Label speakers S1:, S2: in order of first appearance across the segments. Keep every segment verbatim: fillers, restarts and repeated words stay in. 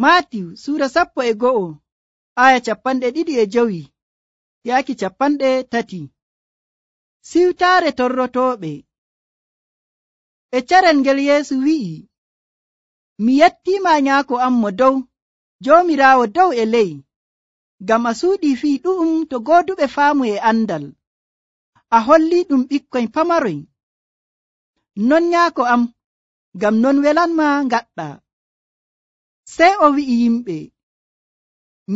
S1: Maatiw suura sappo e go'o aya capanɗe ɗiɗi e jowi yaaki capanɗe tati. Siwtaare torrotooɓe. E carel ngel Yeesu wi'i, mi yettiima nyaako am mo dow, Joomiraawo dow e ley, ngam a suuɗii fii ɗu'um to gooduɓe faamu e andal. A hollii ɗum ɓikkoy pamaroy. Non nyaako am, ngam non welanma ngaɗɗa. Sey o wi'i yimɓe,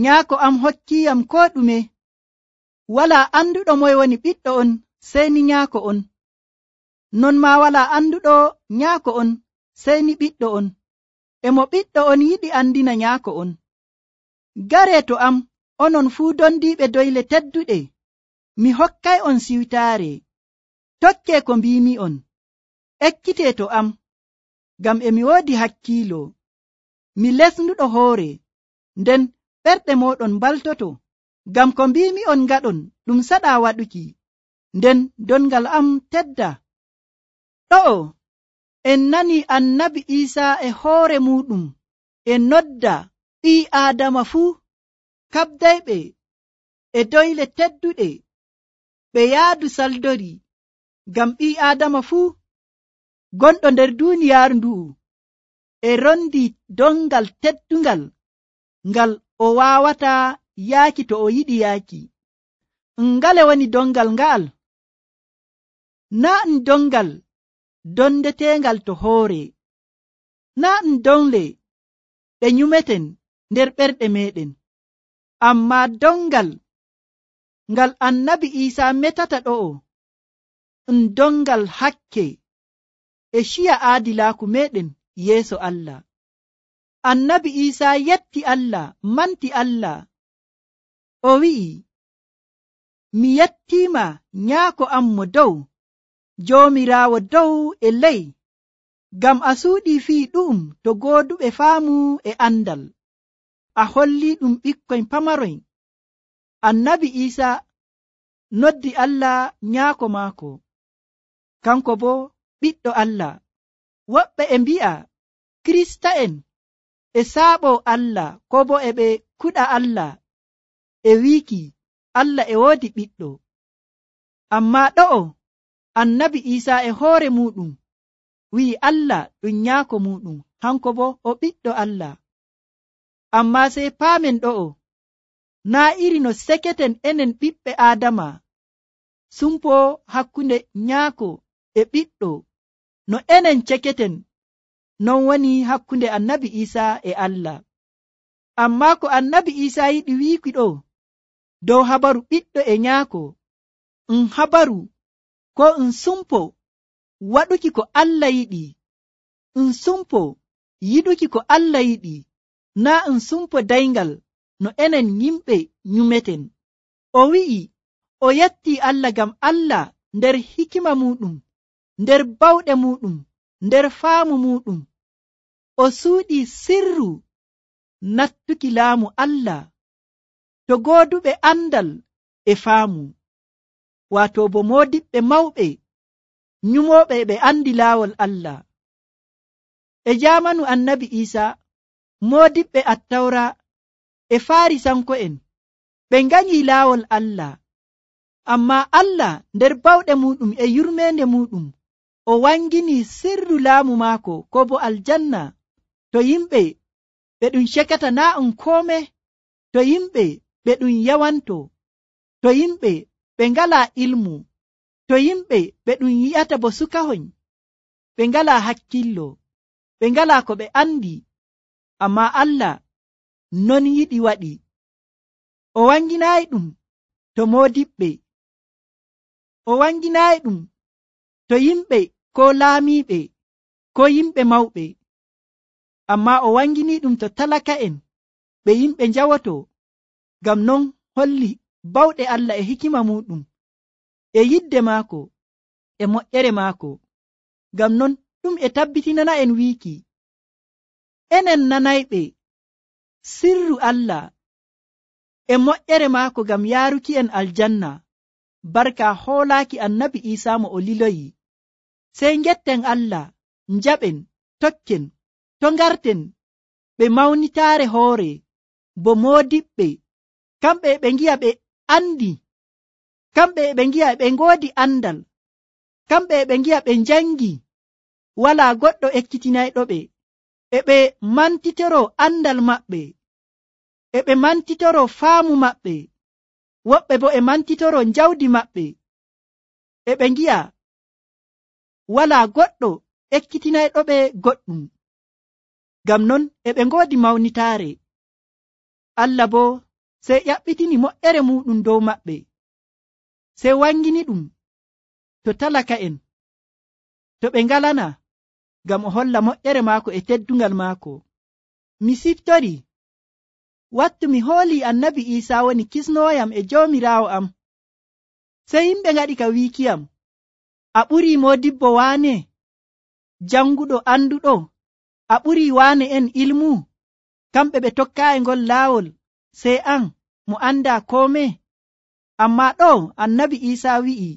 S1: nyaako am hokkiiyam koo ɗume. Walaa anduɗo moye woni ɓiɗɗo on sey ni nyaako on. Non maa walaa anduɗo nyaako on sey ni ɓiɗɗo on. E mo ɓiɗɗo on yiɗi andina nyaako on. Garee to am, onon fuu dondiiɓe doyle tedduɗe. Mi hokkay on siwtaare. Tokkee ko mbiimi'on. Ekkitee to am, ngam e mi woodi hakkiilo. Mi lesnuɗo hoore, nden ɓerɗe mooɗon mbaltoto. Ngam ko mbiimi'on ngaɗon ɗum saɗaa waɗuki, nden dongal am tedda. Ɗo'o en nani annabi Iisaa e hoore muuɗum e nodda ɓii Aadama fuu kaɓdayɓe e doyle tedduɗe ɓe yaadu saldori, ngam ɓii Aadama fuu gonɗo nder duuniyaaru ndu'u e rondi dongal teddungal ngal o waawata yaaki to o yiɗi yaaki. Ngale woni dongal nga'al? Naa ɗum dongal dondeteengal to hoore, naa ɗum dongle ɗe nyumeten nder ɓerɗe meɗen, ammaa dongal ngal annabi Iisaa metata ɗo'o ɗum dongal hakke e ciya aadilaaku meɗen yeeso Allah. Annabi Iisaa yetti Allah, manti Allah. O wi'i, mi yettiima nyaako am mo dow, Joomiraawo dow e ley, ngam a suuɗii fii ɗu'um to gooduɓe faamu e andal. A hollii ɗum ɓikkoy pamaroy. Annabi Iisaa noddi Allah nyaako maako, kanko boo ɓiɗɗo Allah. Woɓɓe e mbi'a Kirista'en e saaɓoo Allah, koo boo e ɓe kuɗa Allah e wiiki Allah e woodi ɓiɗɗo. Ammaa ɗo'o annabi Iisaa e hoore muuɗum wi'i Allah ɗum nyaako muuɗum, hanko boo o ɓiɗɗo Allah. Ammaa sey paamen ɗo'o, naa iri no seketen enen ɓiɓɓe Aadama sumpoo hakkunde nyaako e ɓiɗɗo, no enen ceketen, non woni hakkunde annabi Iisaa e Allah. Ammaa ko annabi Iisaa yiɗi wiiki ɗo dow habaru ɓiɗɗo e nyaako, um habaru ko um sumpo waɗuki ko Allah yiɗi, um sumpo yiɗuki ko Allah yiɗi, naa um sumpo dayngal no enen yimɓe nyumeten. O wi'i o yettii Allah ngam Allah nder hikima muuɗum, nder bawɗe muuɗum, nder faamu muuɗum, o suuɗii sirru nattuki laamu Allah to gooduɓe andal e faamu, waato bo moodiɓɓe mawɓe nyumooɓe ɓe andi laawol Allah. E jaamanu annabi Iisaa, moodiɓɓe attawra e Faarisanko'en ɓe nganyii laawol Allah, ammaa Allah nder bawɗe muuɗum e yurmeende muuɗum o wanginii sirru laamu maako ko bo aljanna to yimɓe ɓe ɗum cekata naa um koome, to yimɓe ɓe ɗum yawanto, to yimɓe ɓe ngalaa ilmu, to yimɓe ɓe ɗum yi'ata bo sukahoy, ɓe ngalaa hakkillo, ɓe ngalaa ko ɓe andi. Ammaa Allah non yiɗi waɗi. O wanginaayi ɗum to moodiɓɓe, o wanginaayi ɗum to yimɓe koo laamiiɓe koo yimɓe mawɓe, ammaa o wanginii ɗum to talaka'en, ɓe yimɓe njawoto. Ngam non holli bawɗe Allah e hikima muuɗum e yidde maako e moƴƴere maako. Ngam non ɗum e tabbitinana en wiiki enen nanayɓe sirru Allah e moƴƴere maako ngam yaaruki en aljanna, barka hoolaaki annabi Iisaa mo o liloyi. Sey ngetten Allah, njaɓen, tokken, to ngarten ɓe mawnitaare hoore bo moodiɓɓe, kamɓe ɓe ngi'a ɓe andi, kamɓe ɓe ngi'a ɓe ngoodi andal, kamɓe ɓe ngi'a ɓe njangi, walaa goɗɗo ekkitinayɗo ɓe, e ɓe mantitoro andal maɓɓe, e ɓe mantitoro faamu maɓɓe, woɓɓe bo e mantitoro njawdi maɓɓe, e ɓe ngi'a walaa goɗɗo ekkitinayɗo ɓe goɗɗum. Ngam non e ɓe ngoodi mawnitaare. Allah boo sey ƴaɓɓitini moƴƴere muɗum dow maɓɓe, sey wangini ɗum to talaka'en, to ɓe ngalana, ngam o holla moƴƴere maako e teddungal maako. Mi siftori wattu mi hoolii annabi Iisaa woni kisnooyam e joomiraawo am, sey yimɓe ngaɗi ka wiikiyam, a ɓurii moodibbo waane, janguɗo anduɗo, a ɓurii waane en ilmu, kamɓe ɓe tokkaayi ngol laawol, sey an mo andaa koome. Ammaa ɗo annabi Iisaa wi'i,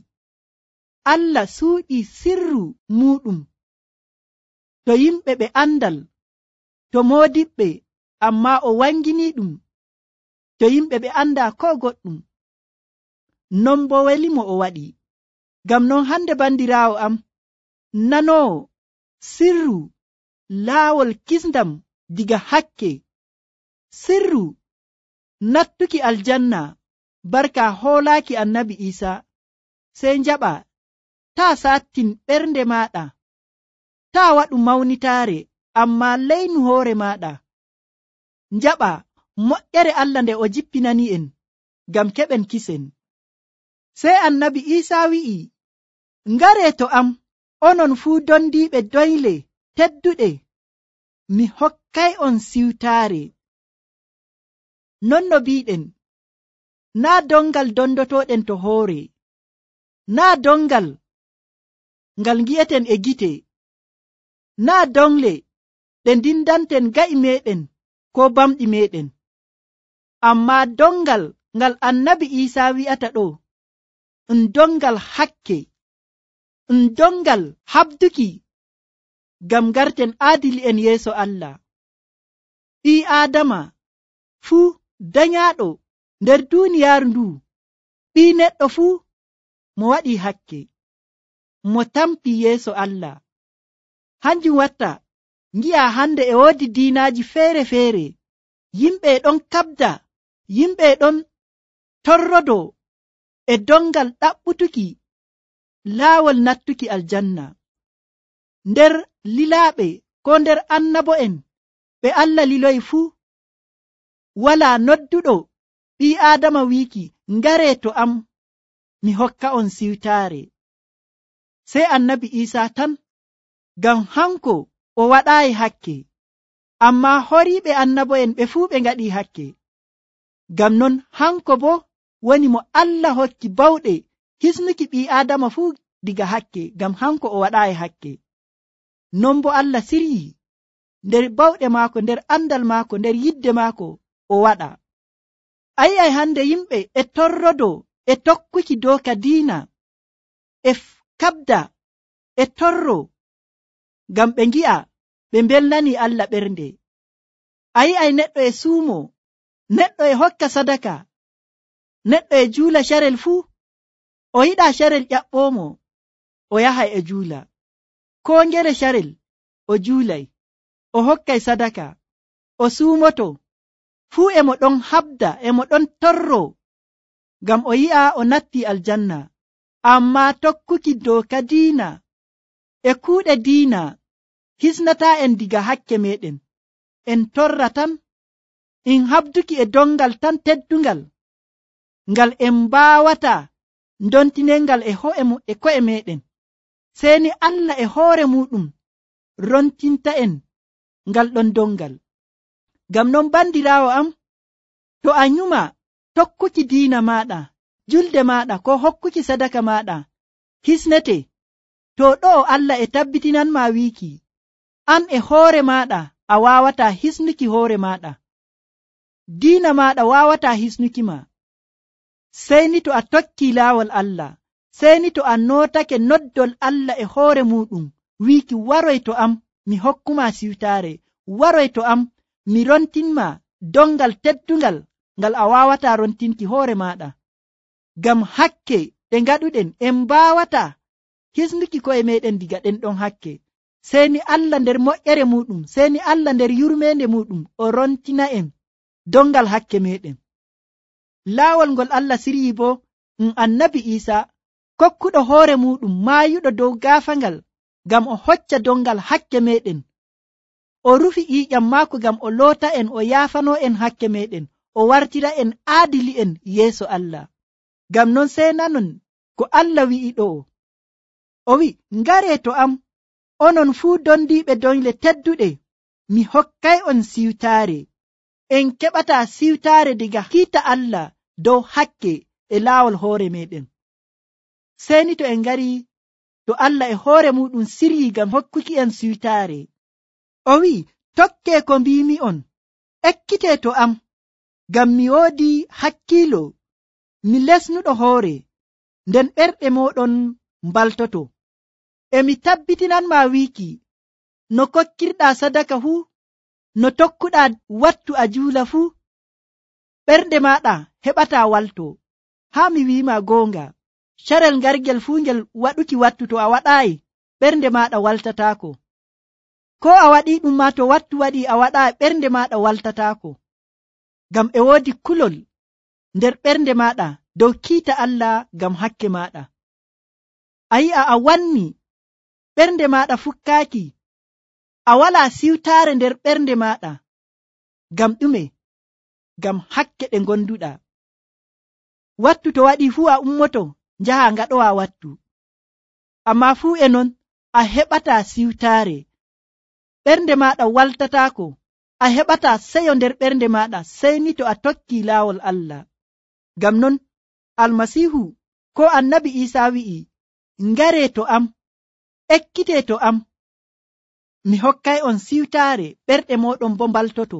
S1: Allah suuɗii sirru muɗum to yimɓe ɓe andal, to moodiɓɓe, ammaa o wanginii ɗum to yimɓe ɓe andaa ko goɗɗum. Non bo welimo o waɗi. Ngam non hande bandiraawo am, nanoowo sirru laawol kisndam diga hakke, sirru nattuki aljanna barka hoolaaki annabi Iisaa, sey njaɓa taa saattin ɓernde maaɗa, taa waɗu mawnitaare, ammaa leynu hoore maaɗa, njaɓa moƴƴere Allah nde o jippinani en ngam keɓen kisen. Sey annabi Iisaa wi'i, ngaree to am, onon fuu dondiiɓe doyle tedduɗe, mi hokkay on siwtaare. Non no biiɗen, naa dongal dondotooɗen to hoore, naa dongal ngal ngi'eten e gite, naa dongle ɗe ndindanten ga'i meɗen ko bamɗi meɗen, ammaa dongal ngal annabi Iisaa wi'ata ɗo, ɗum dongal hakke, ɗum dongal habduki ngam garten aadili'en yeeso Allah. Ɓii Aadama fuu danyaaɗo nder duuniyaaru ndu, ɓii neɗɗo fuu mo waɗii hakke, mo tampi yeeso Allah. Hanjum watta ngi'a hande e woodi diinaaji feere-feere, yimɓe ɗon kabda, yimɓe ɗon torrodo e dongal ɗaɓɓutuki laawol nattuki aljanna. Nder lilaaɓe ko nder annabo'en ɓe Allah liloyi fuu, walaa nodduɗo ɓii Aadama wiiki, ngaree to am, mi hokka on siwtaare. Sey annabi Iisaa tan, ngam hanko o waɗaayi hakke, ammaa horiiɓe annabo'en ɓe fuu ɓe ngaɗii hakke. Ngam non hanko bo woni mo Allah hokki bawɗe hisnuki ɓii Aadama fuu diga hakke, ngam hanko o waɗaayi hakke. Non bo Allah siryi nder bawɗe maako, nder andal maako, nder yidde maako o waɗa. A yi'ay hande yimɓe e torrodo e tokkuki dooka diina, e kabda e torro, ngam ɓe ngi'a ɓe mbelnani Allah ɓernde. A yi'ay neɗɗo e suumo, neɗɗo e hokka sadaka, neɗɗo e juula carel fuu, o yiɗa carel ƴaɓɓoomo, o yahay e juula, ko ngele carel o juulay, o hokkay sadaka, o suumoto, fuu e mo ɗon habda, e mo ɗon torro, ngam o yi'a o natti aljanna. Ammaa tokkuki dooka diina e kuuɗe diina hisnataa en diga hakke meɗen, en torra tan, in habduki e dongal tan teddungal, ngal en mbaawata ndontinengal e ho'e e ko'e meɗen, seeni Allah e hoore muɗum rontinta en ngal ɗon dongal. Ngam non bandiraawo am, to a nyuma tokkuki diina maɗa, julde maɗa, ko hokkuki sadaka maɗa hisnete, to ɗo Allah e tabbitinanma wiiki, an e hoore maɗa a wawata hisnuki hoore maɗa, diina maɗa wawata hisnuki ma, sey ni to a tokki laawol Allah, sey ni to a notake noddol Allah e hoore muɗum wiiki, waroy to am mi hokkuma siwtaare, waroy to am mi rontinma dongal teddungal ngal a wawata rontinki hoore maɗa. Ngam hakke ɗe ngaɗuɗen en mbawata hisnuki ko'e meɗen diga ɗen ɗon hakke. Seni Allah nder moƴƴere muɗum, seni Allah nder yurmende muɗum o rontina en dongal hakke meɗen. Laawol ngol Allah siryi bo um annabi Isa kokkuɗo hoore muɗum maayuɗo dow gaafangal ngam o hocca dongal hakke meɗen. O rufi ƴiƴam maako ngam o loota en, o yaafano en hakke meɗen, o wartira en aadili'en yeeso Allah. Ngam non sey nanon ko Allah wi'i ɗo, o wi, ngare to am onon fuu dondiiɓe doyle tedduɗe, mi hokkay on siwtaare. En keɓata siwtaare diga kiita Allah dow hakke e laawol hoore meɗen. Seni to en ngari to Allah e hoore muɗum siryi ngam hokkuki en siwtaare, o wi, tokke ko mbimi on, ekkite to am, ngam mi woodi hakkiilo, mi lesnuɗo hoore, nden ɓerɗe moɗon mbaltoto. E mi tabbitinanma wiiki, no kokkirɗa sadaka fuu, no tokkuɗa wattu a juula fuu, ɓernde maɗa heɓata walto. Haa mi wiima goonga, carel ngargel fuu ngel waɗuki wattu to a waɗaayi, ɓernde maɗa waltataako. Ko a waɗi ɗum ma to wattu waɗi a waɗaayi, ɓernde maɗa waltataako. Ngam e woodi kulol nder ɓernde maɗa dow kiita Allah ngam hakke maɗa. A yi'a a wanni ɓernde maɗa fukkaaki, a walaa siwtaare nder ɓernde maɗa. Ngam ɗume? Ngam hakke ɗe gonduɗa. Wattu to waɗi fuu a ummoto njaha ngaɗowa wattu, amma fuu e non a heɓata siwtaare, ɓernde maɗa waltataako, a heɓata seyo nder ɓernde maɗa sey ni to a tokki laawol Allah. Ngam non almasihu ko annabi Isa wi'i, ngare to am, ekkite to am, mi hokkay on siwtaare, ɓerɗe moɗon bo mbaltoto.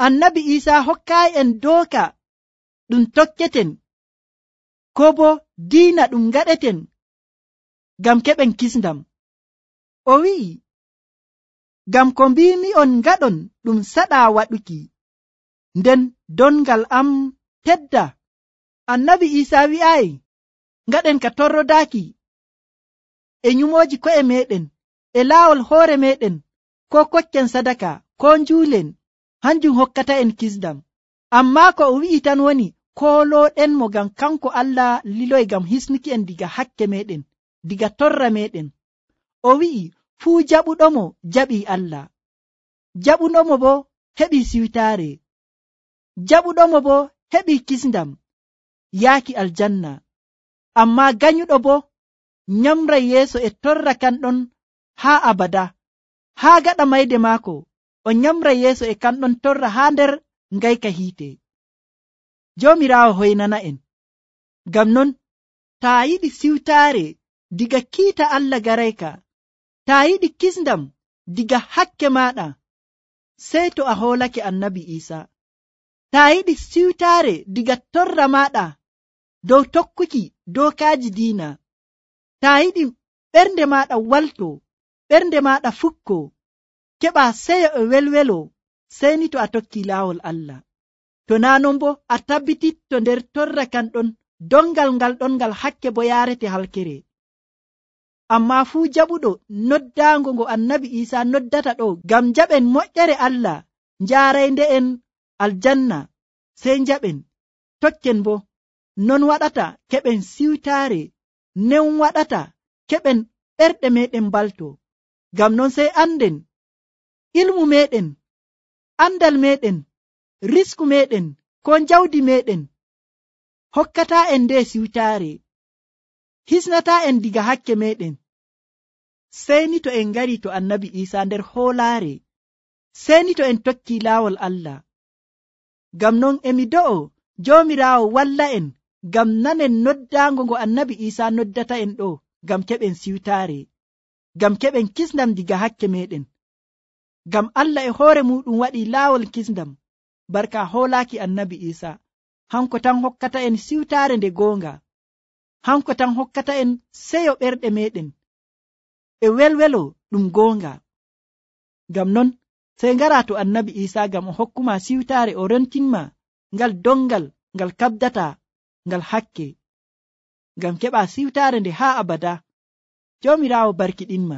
S1: Annabi Isa hokkay en dooka ɗum tokketen, ko bo diina ɗum ngaɗeten ngam keɓen kisndam. O wi'i, ngam ko mbimi on ngaɗon ɗum saɗa waɗuki, nden dongal am tedda. Annabi Isa wi'ayi, ngaɗen ka torrodaaki e nyumoji ko'e meɗen, e laawol hoore meɗen, ko kokken sadaka, ko njuulen, hanjum hokkata en kisndam. Amma ko o wi'i tan woni, koolooɗen mo ngam kanko Allah liloy ngam hisnuki en diga hakke meɗen, diga torra meɗen. O wi'i, fuu jaɓuɗomo jaɓii Allah, jaɓuɗomo bo heɓii siwtaare, jaɓuɗomo bo heɓii kisndam yaaki aljanna. Amma ganyuɗo bo nyamray yeeso e torra kanɗon haa abada, haa gaɗa mayde maako o nyamray yeeso e kanɗon torra haa nder ngayka hiite. Joomiraawo hoynana en. Ngam non taa yiɗi siwtaare diga kiita Allah garayka, taa yiɗi kisndam diga hakke maɗa, sey to a hoolake annabi Isa. Taa yiɗi siwtaare diga torra maɗa dow tokkuki dookaaji diina, taa yiɗi ɓernde maɗa walto, ɓernde maɗa fukko, keɓa seyo e welwelo, sey ni to a tokki laawol Allah. To naa non bo a tabbititto nder torra kanɗon dongal ngal ɗon ngal hakke bo yaarete halkere. Amma fuu jaɓuɗo noddaango ngo annabi Isa noddata ɗo ngam jaɓen moƴƴere Allah njaaraynde en aljanna, sey jaɓen tokken bo non waɗata keɓen siwtaare, nen waɗata keɓen ɓerɗe meɗen mbalto. Ngam non sey anden ilmu meɗen, andal meɗen, risku meɗen, ko jawdi meɗen hokkata en nde siwtaare, hisnata en diga hakke meɗen. Sey ni to en ngari to annabi Isa nder hoolaare, sey ni to en tokki laawol Allah. Ngam non emi do'o Joomiraawo walla en ngam nanen noddaango ngo annabi Isa noddata en ɗo, ngam keɓen siwtaare, ngam keɓen kisndam diga hakke meɗen. Ngam Allah e hoore muɗum waɗi laawol kisndam barka hoolaaki annabi Isa. Hanko tan hokkata en siwtaare nde goonga, hanko tan hokkata en seyo ɓerɗe meɗen e welwelo ɗum goonga. Ngam non sey ngara to annabi isa ngam o hokkuma siwtaare o rentinma ngal dongal ngal kabdata ngal hakke ngam keɓa siwtaare nde haa abada. Joomiraawo barkiɗinma.